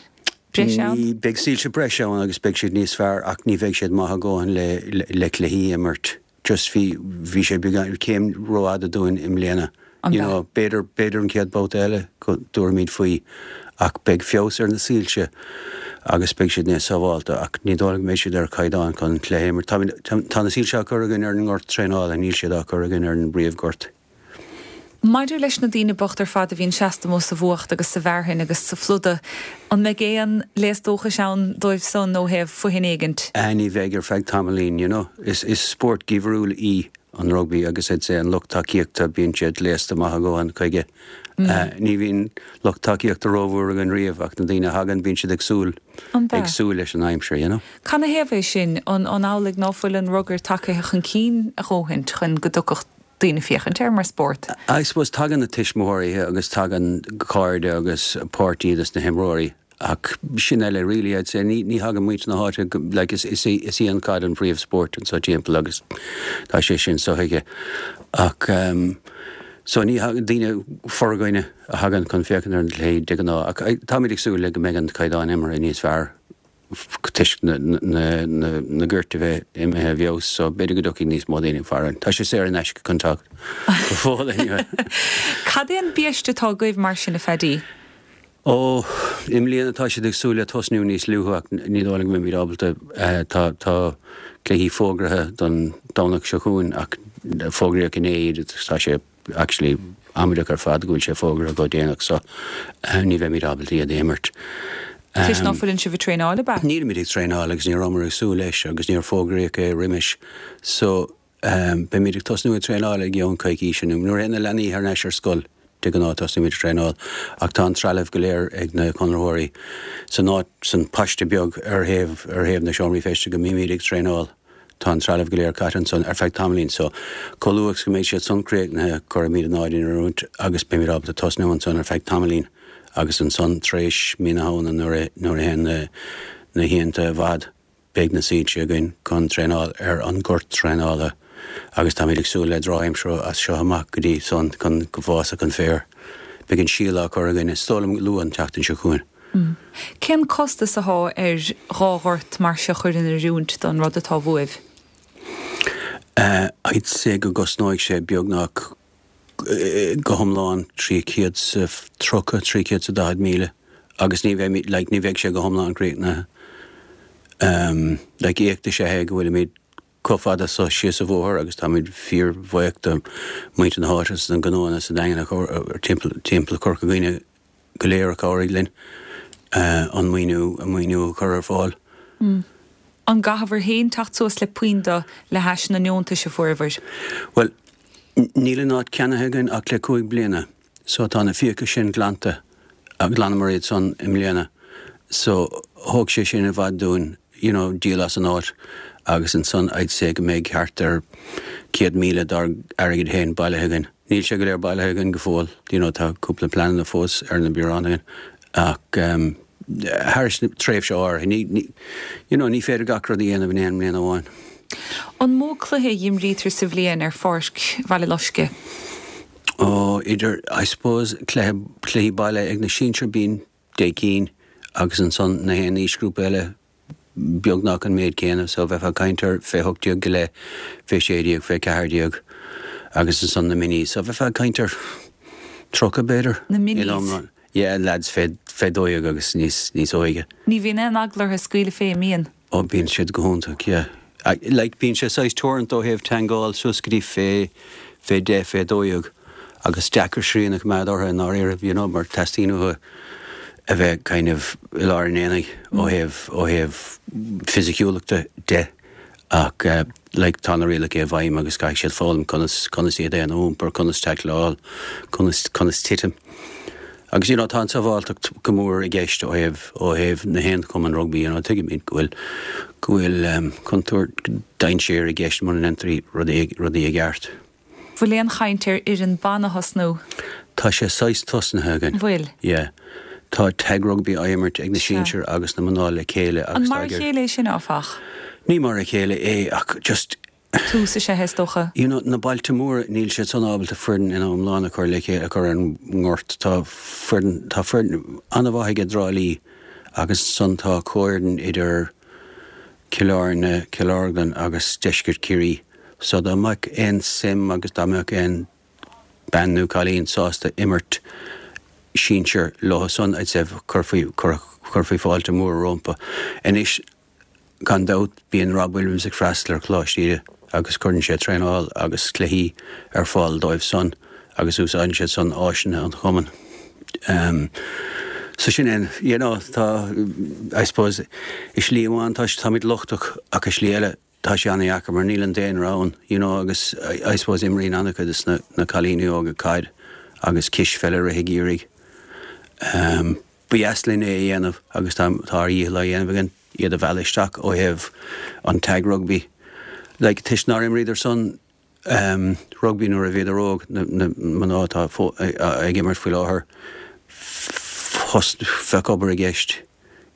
breise ann? Ní, beidh soilse breise ann agus beidh siad níos fearr ach ní bheidh siad maith a dhóthain le le cluichí a imirt. Just bhí, bhí sé beagán, céim rófhada dúinn i mbliana. An You know, b'fhéidir, b'fhéidir an chéad babhta eile go dtabharfaimid faoi ach beidh feabhas ar na soilse agus beidh siad níos sábhálta ach ní dóigh liom go mbeidh siad ar chaighdeán chun cluiche a imirt. Táimid, tá na soilse á cur againn ar an ngort traenála, níl siad á cur againn ar an bpríomhghort. Maidir leis na daoine bocht ar fad a bhíonn seasta amuigh sa bhfuacht agus sa bhfearthainn agus sa phluda, an mbeidh aon léas dóchais ann dóibh san ó thaobh foithin éigint? Ah ní bheidh ar feadh tamaillín, you know. Is is spórt geimhriúil í an rugbaí agus I'd say an lucht tacaíochta bíonn siad gléasta maith a dhóthain chuige. Ní bhíonn lucht tacaíochta rómhór againn riamh ach na daoine a thagann bíonn siad ag súil An bea? ag súil leis an aimsir, you know. Canathaobh é sin? An an amhlaidh ná fuil an rugar tagaithe chun cinn a dhóthaint chun go dtiocfadh daoine féachaint air mar spórt. I suppose tagann na tuismitheoirí agus tagann cairde agus páirtí dos na himreoirí ach sin uile really I'd say. Ní ní thagann muintir na háite go like is is í is í an caid an príomhspórt anseo timpeall agus tá sé sin sothuigthe ach ehm so ní thagann daoine forghaine a thagann chun féachaint ar an gcluiche de ghnáth ach táimid ag súil le go mbeidh an caighdeán imeartha níos fearr. toisc na goirt a bheith imithe i bhfeabhas so b'fhéidir go dtiocfaidh níos mó daoine farainn. Tá sé saor in aisce chun teacht go fóill anyway. Cad é an biaiste atá agaibh mar sin a Phaddy? Ó, i mbliana tá siad ag súil le tosnú níos luaithe ach ní dóigh liom go mbeimid ábalta. Tá tá cluichí fógraithe don Domhnach seo chugainn ach fógraíodh inné iad agus tá sé actually amaideach ar fad go bhfuil sé fógartha chomh déanach so ní bheimid ábalta iad a imirt. Toisc ná fuileann sibh ag traenáil, ab ea? Nílimid ag traenáil agus ní rabhamar ag súil leis agus níor fógraíodh é roimis so beimid ag tosnú ag traenáil i gceann coicíse nó nuair a théann na leanaí thar n-ais ar scoil de ghnáth tosnaímid ag traenáil ach tá an trealamh go léir ag na conraitheoirí san áit san paiste beag ar thaobh ar thaobh na seomraí feiste go mbímid ag traenáil. Tá an trealamh go léir caite ansan ar feadh tamaillín so chomh luath is go mbeidh siad san críochnaithe cuirfimid an áit in oiriúint agus beimid ábalta tosnú ansan ar feadh tamaillín agus ansan tar éis mí na Shamhna nuair a nuair a théann na na hoícheanta i bhfad beidh na soilse againn chun traenáil ar an ngort traenála agus táimid ag súil le drochaimsir as seo amach go dtí san chun go bhfásfadh an féar. Beidh an síol á cur againn is dóigh liom luath an tseachtain seo chugainn. Cén costas athá ar dhá ghort mar seo chur in oiriúint don rud atá uaibh? I'd say go gcosnóidh sé beagnach go hiomlán 330, 340 míle agus ní bheidh, like, ní bheidh sé go hiomlán críochnaithe. Like, éacht is ea é go bhfuilimid chomh fada so síos an bhóthar agus táimid fíor-bhuíoch do mhuintir na háite is na gnóanna sa Daingean timpeall, timpeall Chorca Dhuibhne go léir a chabhraigh linn an maoiniú, an maoiniú a chur ar fáil. An gcaithfear féin teacht suas le puinn de le hais na ndeontais a fuaireabhair? Bhuel, níl an áit ceannaithe againn ach le 5 bliana so tá na fiacha sin glanta, ghlanamar iad san i mbliana so thóg sé sin i bhfad dúinn you know díol as an áit agus ansan I'd say go mbeidh thart ar 100,000 dár airgead féin bailithe againn. Níl sé go léir bailithe againn go fóill, you know tá cúpla pleananna fós ar na bioráin againn ach. thar tréimhse áirithe. Ní, you know, ní féidir gach rud a dhéanamh in aon mbliain amháin. An mó cluiche a imrítear sa bhliain ar pháirc Bhaile Loiscthe? Ó, idir, I suppose, cluiche, cluichí baile ag na sinsir bíonn deich gcinn agus ansan na haon aoisghrúpa eile beagnach an méid céanna so bheifeá ag caint ar fé 18 go leith, fé 16, fé 14 agus ansan na minis so bheifeá ag caint ar 30 b'fhéidir. Na minis? In iomlán. Yeah, lads fé 12 agus níos, níos óige. Ní bhíonn aon eagla orthu scaoileadh fé, an mbíonn? Ó bíonn siad go hiontach, yeah. Like bíonn sé saghas teoranta ó thaobh teangáil suas go dtí fé, fé 10, fé 12 agus deacair srian a choimeád orthu i ndáiríre, you know, mar teastaíonn uathu a bheith kind of i lár an aonaigh ó thaobh, ó thaobh fisiciúlachta de ach like tá na rialacha i bhfeidhm agus caithfidh siad foghlaim conas, conas iad féin a iompar, conas taicleáil, conas, conas titim. Agus you know tá an tsábháilteacht go mór i gceist ó thaobh, ó thaobh na haon chumann rugbaí, you know tuigimid go bhfuil, go bhfuil contúirt, dainséar i gceist muna ndéantar rudaí, rudaí i gceart. Bhfuil aon chaint ar fhoireann ban a thosnú? Tá sé saghas tosnaithe againn. Bhfuil? Yeah. Tá tag rugbaí á imirt ag na sinsir agus na mná le chéile agus An mar a chéile é sin, áfach? Ní mar a chéile é ach just. Tús is ea é, is dócha. You know, na bailte móra, níl siad san ábalta foireann ina iomlán a chur le chéile, a chur ar an ngort. Tá foireann, tá foireann an-mhaith ag Trá Lí agus ansan tá comhfhoireann idir Cill Airne, Cill Orglan agus Deisceart Chiarraí. So dá mbeadh aon suim agus dá mbeadh aon bean nó cailín sásta imirt sinsir leo san, I'd say chuirfí, chuirfí fáilte mhór rompu. Anois, gan dabht, bíonn Rob Williams ag freastal ar Choláiste Íde agus cuireann sé traenáil agus cluichí ar fáil dóibh san agus úsáideann siad san áiseanna an chumainn. So sin é, you know, tá, I suppose, i slí amháin tá, táimid lochtach ach i slí eile tá sé an-dheacair mar níl an daonra ann, you know, agus I suppose imríonn an-chuid de na, na cailíní óga caid agus cispheil i rith an gheimhridh. Ba dheas linn é a dhéanamh agus tá, tá ár dhícheall á dhéanamh againn iad a mhealladh isteach ó thaobh an tag rugby. Like, toisc nár imríodar san, rugbaí nuair a bhíodar óg, na mná atá ag imirt faoi láthair, bheadh obair i gceist,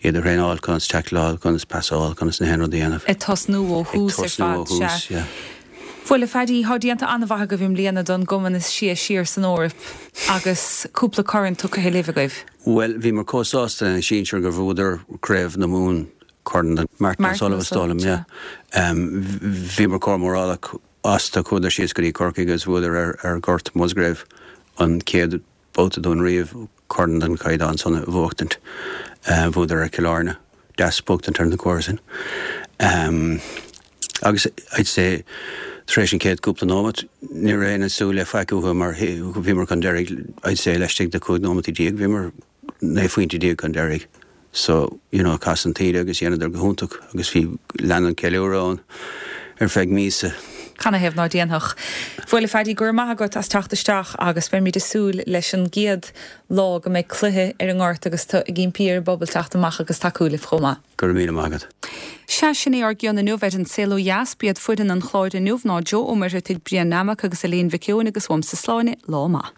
iad a thraenáil, conas taicleáil, conas pasáil, conas na haon rud a dhéanamh. Ag tosnú ó thús ar fad, sea. Bhuel, a Phaddy, tá déanta an-mhaith agaibh i mbliana don gcumann is sia siar san Eoraip agus cúpla corn tugtha libh agaibh. Bhuel, bhíomar chomh sásta lena sinsir gur bhuadar Craobh na Mumhan Corn Martin O'Sullivan is dóigh liom, yeah. Bhíomar chomh mórálach astu, chuadar síos go dtí Corcaigh agus bhuadar ar ar Ghort Musgrave an chéad babhta dúinn riamh corn den chaighdeán san a bhuachtaint. Bhuadar ar Chill Airne, deas buachtaint ar na comharsain. Agus I'd say tar éis an chéad cúpla nóimeat ní raibh éinne ag súil le faic uathu mar bhíomar chun deiridh I'd say laistigh de 15 nóimeataí bhíomar 19 phointe chun deiridh. So, you know, chas an taoide agus dheineadar go hiontach agus bhí, lean an ceiliúradh ann ar feadh míosa. Canathaobh ná déanfadh? Bhuel, a Phaddy, go raibh maith agat as teacht isteach agus beimid ag súil leis an gcéad lá go mbeidh cluiche ar an ngort agus tú ag impí ar an bpobal teacht amach agus tacú libh chomh maith. Go raibh míle maith agat. Sea, sin é ár gcion inniu ar An Saol Ó Dheas. B'iad foireann an chláir inniu ná Joe Ó Muircheartaigh, Brian Nammock agus Elaine Mhic Eoin agus uaimse Sláine, lá maith.